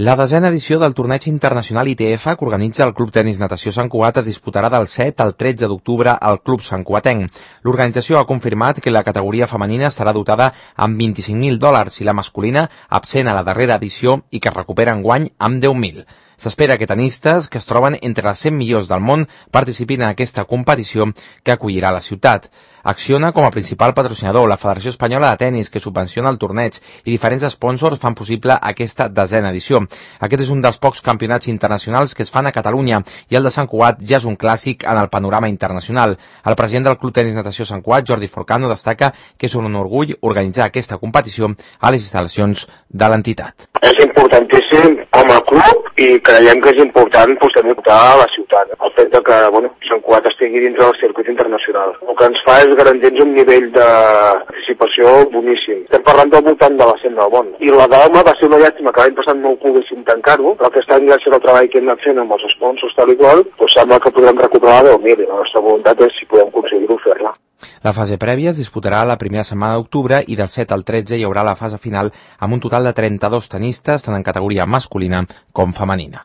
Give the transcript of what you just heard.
La desena edició del torneig internacional ITF que organitza el Club Tenis Natació Sant Cugat es disputarà del 7 al 13 d'octubre al Club Sant Cugatenc. L'organització ha confirmat que la categoria femenina estarà dotada amb $25.000 i la masculina, absent a la darrera edició i que es recupera enguany amb 10.000. S'espera que tenistes que es troben entre les 100 millors del món participin en aquesta competició que acollirà la ciutat. Acciona com a principal patrocinador la Federació Espanyola de Tenis, que subvenciona el torneig, i diferents sponsors fan possible aquesta desena edició. Aquest és un dels pocs campionats internacionals que es fan a Catalunya i el de Sant Cugat ja és un clàssic en el panorama internacional. El president del Club Tenis Natació Sant Cugat, Jordi Forcano, destaca que és un orgull organitzar aquesta competició a les instal·lacions de l'entitat. És importantíssim com a club i creiem que és important també portar a la ciutat. El fet que Sant Cugat estigui dintre del circuit internacional. El que ens fa és garantir-nos un nivell de participació boníssim. Estem parlant del voltant de la 100 del món. I la d'home va ser una llàstima que l'any passat no ho poguéssim tancar-ho, però aquest any, gràcies al treball que hem anat fent amb els sponsors tal i qual, sembla que podrem recuperar 10.000 i la nostra voluntat és, si podem aconseguir-ho, fer-la. La fase prèvia es disputarà la primera setmana d'octubre i del 7 al 13 hi haurà la fase final amb un total de 32 tenistes, tant en categoria masculina com femenina.